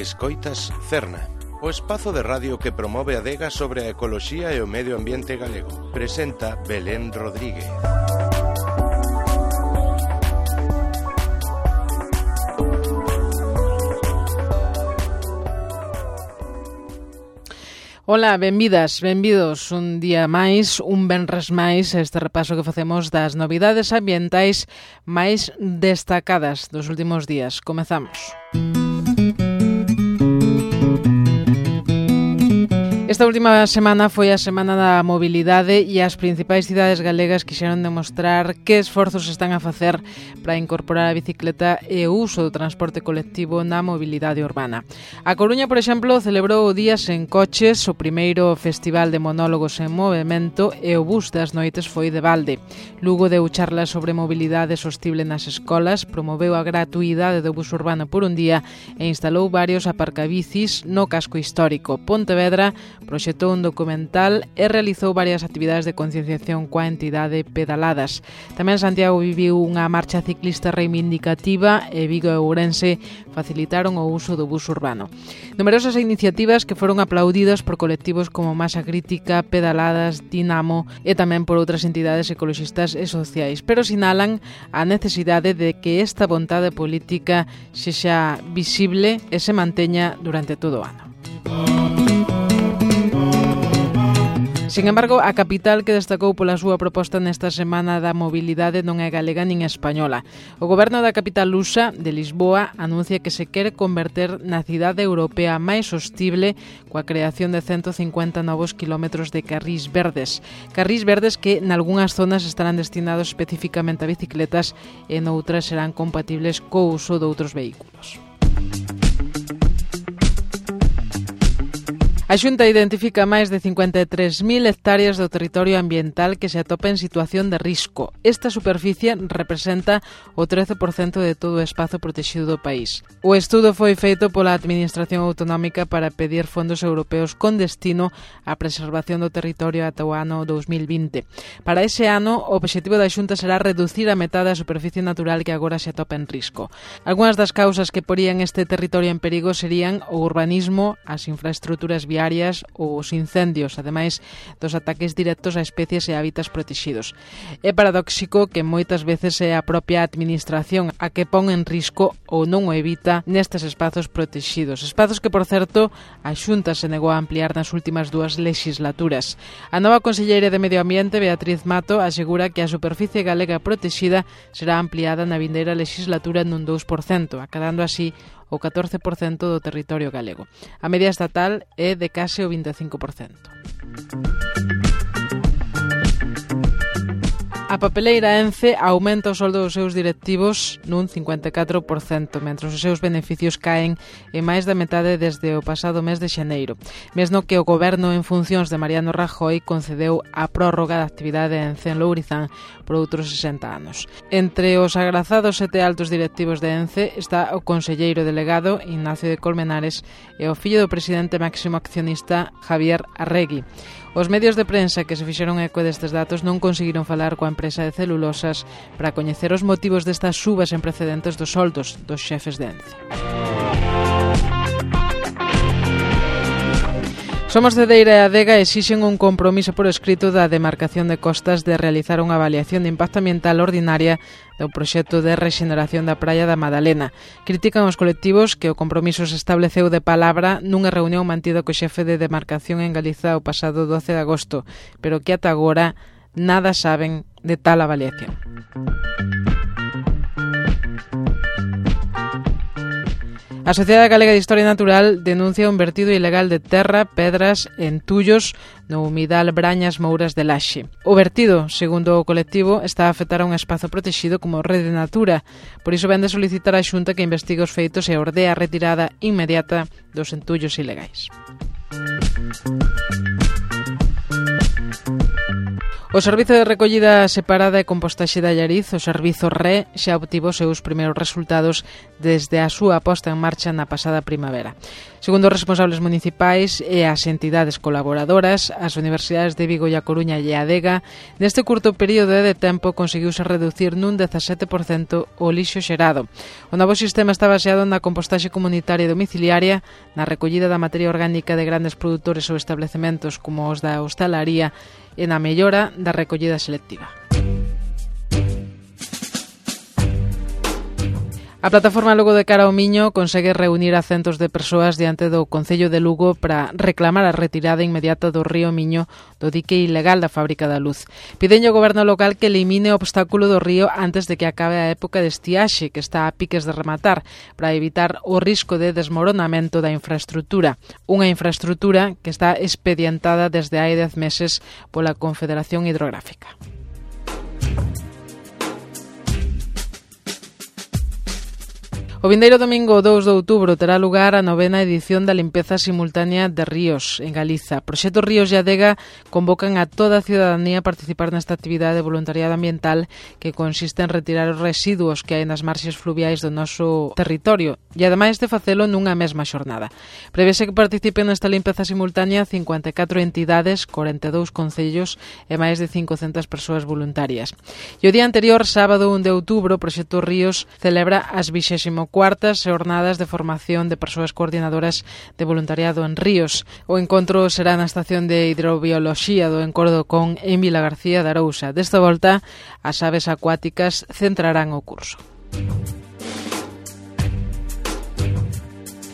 Escoitas Cerna, o espazo de radio que promove a adega sobre a ecoloxía e o medio ambiente galego. Presenta Belén Rodríguez. Ola, benvidas, benvidos un día máis, un venres máis, este repaso que facemos das novidades ambientais máis destacadas dos últimos días. Comezamos. Esta última semana foi a Semana da Mobilidade e as principais cidades galegas quixeron demostrar que esforzos están a facer para incorporar a bicicleta e o uso do transporte colectivo na mobilidade urbana. A Coruña, por exemplo, celebrou o Día Sen Coches, o primeiro festival de monólogos en movimento, e o bus das noites foi de balde. Lugo deu charlas sobre mobilidade sostible nas escolas, promoveu a gratuidade do bus urbano por un día e instalou varios aparcabicis no casco histórico. Pontevedra proxectou un documental e realizou varias actividades de concienciación coa entidade Pedaladas. Tamén Santiago viviu unha marcha ciclista reivindicativa e Vigo e Ourense facilitaron o uso do bus urbano. Numerosas iniciativas que foron aplaudidas por colectivos como Masa Crítica, Pedaladas, Dinamo e tamén por outras entidades ecoloxistas e sociais, pero sinalan a necesidade de que esta vontade política sexa visible e se manteña durante todo o ano. Sin embargo, a capital que destacou pola súa proposta nesta Semana da Mobilidade non é galega nin española. O goberno da capital lusa, de Lisboa, anuncia que se quere converter na cidade europea máis sostible coa creación de 150 novos kilómetros de carrís verdes. Carrís verdes que nalgúnas zonas estarán destinados especificamente a bicicletas e noutras serán compatibles co uso de outros vehículos. A Xunta identifica máis de 53.000 hectáreas do territorio ambiental que se atopa en situación de risco. Esta superficie representa o 13% de todo o espazo protegido do país. O estudo foi feito pola Administración Autonómica para pedir fondos europeos con destino á preservación do territorio ata o ano 2020. Para ese ano, o obxectivo da Xunta será reducir a metade da superficie natural que agora se atopa en risco. Algúnas das causas que porían este territorio en perigo serían o urbanismo, as infraestruturas viarias, os incendios, ademais dos ataques directos a especies e hábitats protegidos. É paradóxico que moitas veces é a propia administración a que pon en risco ou non o evita nestes espazos protegidos. Espazos que, por certo, a Xunta se negou a ampliar nas últimas dúas legislaturas. A nova conselleira de Medio Ambiente, Beatriz Mato, asegura que a superficie galega protexida será ampliada na vindeira legislatura nun 2%, acadando así o 14% do territorio galego. A media estatal é de case o 25%. A papeleira Ence aumenta o soldo dos seus directivos nun 54%, mentres os seus beneficios caen en máis da metade desde o pasado mes de xaneiro, mesmo que o goberno en funcións de Mariano Rajoy concedeu a prórroga da actividade de Ence en Lourizán por outros 60 anos. Entre os agrazados 7 altos directivos de Ence está o conselleiro delegado Ignacio de Colmenares e o fillo do presidente máximo accionista Javier Arregui. Os medios de prensa que se fixeron eco destes datos non conseguiron falar coa empresa de celulosas para coñecer os motivos destas subas en precedentes dos soldos dos xefes de Ence. Somos Cedeira e Adega exixen un compromiso por escrito da demarcación de costas de realizar unha avaliación de impacto ambiental ordinaria do proxecto de rexeneración da praia da Madalena. Critican os colectivos que o compromiso se estableceu de palabra nunha reunión mantida co xefe de demarcación en Galiza o pasado 12 de agosto, pero que ata agora nada saben de tal avaliación. A Sociedade Galega de Historia Natural denuncia un vertido ilegal de terra, pedras e entullos no humidal Brañas Mouras de Laxe. O vertido, segundo o colectivo, está a afectar a un espazo protegido como Rede Natura. Por iso vén de solicitar á Xunta que investigue os feitos e ordea a retirada inmediata dos entullos ilegais. O Servizo de Recollida Separada e Compostaxe de Allariz, o Servizo RE, xa obtivo os seus primeiros resultados desde a súa posta en marcha na pasada primavera. Segundo os responsables municipais e as entidades colaboradoras, as universidades de Vigo e a Coruña e a Adega, neste curto período de tempo conseguiuse reducir nun 17% o lixo xerado. O novo sistema está baseado na compostaxe comunitaria e domiciliaria, na recollida da materia orgánica de grandes produtores ou establecementos como os da hostalaría e na mellora da recollida selectiva. A plataforma Lugo de Cara ao Miño consegue reunir a centos de persoas diante do Concello de Lugo para reclamar a retirada inmediata do río Miño do dique ilegal da Fábrica da Luz. Piden ao goberno local que elimine o obstáculo do río antes de que acabe a época de estiaxe, que está a piques de rematar, para evitar o risco de desmoronamento da infraestrutura. Unha infraestrutura que está expedientada desde hai 10 meses pola Confederación Hidrográfica. O vindeiro domingo 2 de outubro terá lugar a 9ª edición da limpeza simultánea de ríos en Galiza. Proxecto Ríos e Adega convocan a toda a cidadanía a participar nesta actividade de voluntariado ambiental que consiste en retirar os residuos que hai nas marxes fluviais do noso territorio e ademais de facelo nunha mesma xornada. Prevese que participen nesta limpeza simultánea 54 entidades, 42 concellos e máis de 500 persoas voluntarias. E o día anterior, sábado 1 de outubro, o Proxecto Ríos celebra as 24ª xornadas de formación de persoas coordinadoras de voluntariado en ríos. O encontro será na estación de hidrobioloxía do Encordocón en Vilagarcía de Arousa. Desta volta, as aves acuáticas centrarán o curso.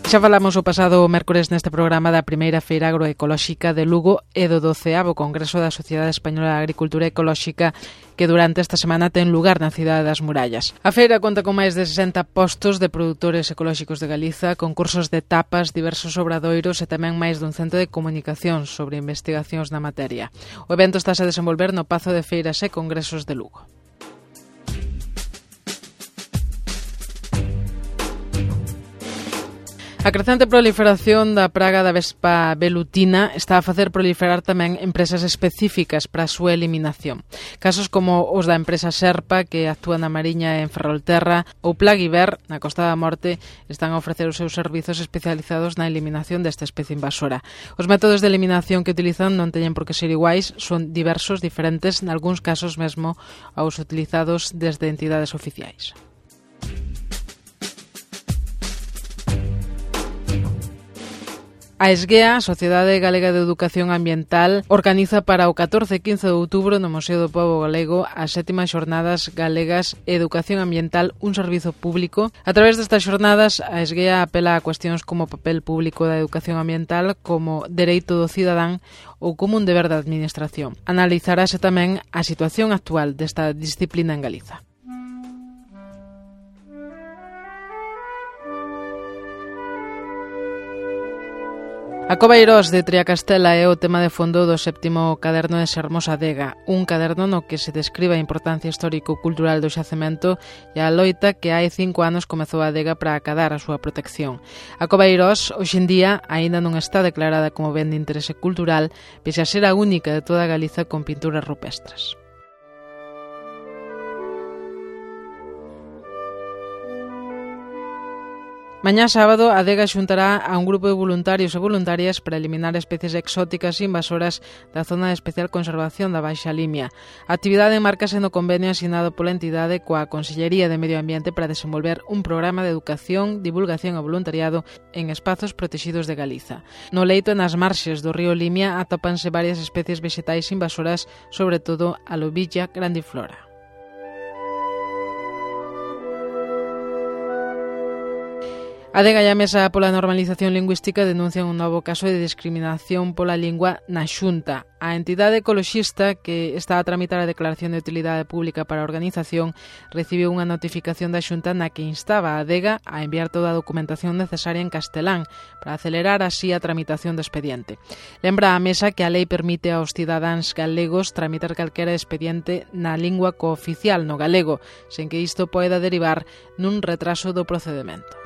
Xa falamos o pasado mércores neste programa da primeira feira agroecolóxica de Lugo e do 12º Congreso da Sociedade Española de Agricultura Ecolóxica que durante esta semana ten lugar na cidade das Murallas. A feira conta con máis de 60 postos de produtores ecolóxicos de Galiza, concursos de tapas, diversos obradoiros e tamén máis dun centro de comunicación sobre investigacións na materia. O evento estáse a desenvolver no Pazo de Feiras e Congresos de Lugo. A crecente proliferación da praga da vespa velutina está a facer proliferar tamén empresas específicas para a súa eliminación. Casos como os da empresa Serpa, que actúa na Mariña e en Ferrolterra, ou Plaguiver, na Costa da Morte, están a ofrecer os seus servizos especializados na eliminación desta especie invasora. Os métodos de eliminación que utilizan non teñen por que ser iguais, son diversos, diferentes, nalgúns casos mesmo aos utilizados desde entidades oficiais. A Esguea, a Sociedade Galega de Educación Ambiental, organiza para o 14 e 15 de outubro no Museo do Pobo Galego as 7ª Xornadas Galegas Educación Ambiental, un servizo público. A través destas xornadas, a Esguea apela a cuestións como o papel público da educación ambiental, como dereito do cidadán ou como un deber da administración. Analizarase tamén a situación actual desta disciplina en Galiza. A Cova Eirós de Triacastela é o tema de fondo do 7º caderno de Sermos Adega, un caderno no que se describe a importancia histórico-cultural do xacemento e a loita que hai 5 anos comezou a Adega para acadar a súa protección. A Cova Eirós, hoxe en día, aínda non está declarada como ben de interese cultural, pese a ser a única de toda Galiza con pinturas rupestres. Mañá sábado, a Adega xuntará a un grupo de voluntarios e voluntarias para eliminar especies exóticas e invasoras da zona de especial conservación da Baixa Limia. A actividade enmárcase no convenio asinado pola entidade coa Consellería de Medio Ambiente para desenvolver un programa de educación, divulgación e voluntariado en espazos protexidos de Galiza. No leito e nas marxes do río Limia atópanse varias especies vegetais invasoras, sobre todo a lobilla grandiflora. A Adega e a Mesa pola Normalización Lingüística denuncian un novo caso de discriminación pola lingua na Xunta. A entidade ecoloxista que está a tramitar a declaración de utilidade pública para a organización recibiu unha notificación da Xunta na que instaba a Adega a enviar toda a documentación necesaria en castelán para acelerar así a tramitación do expediente. Lembra a Mesa que a lei permite aos cidadáns galegos tramitar calquera expediente na lingua cooficial no galego, sen que isto poida derivar nun retraso do procedemento.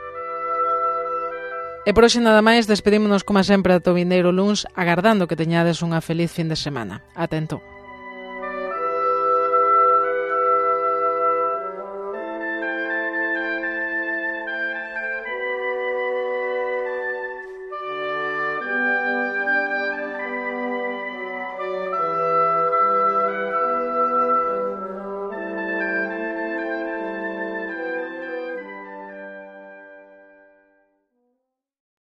E por hoxe nada máis, despedímonos como sempre ata o vindeiro luns, agardando que teñades unha feliz fin de semana. Ata entón.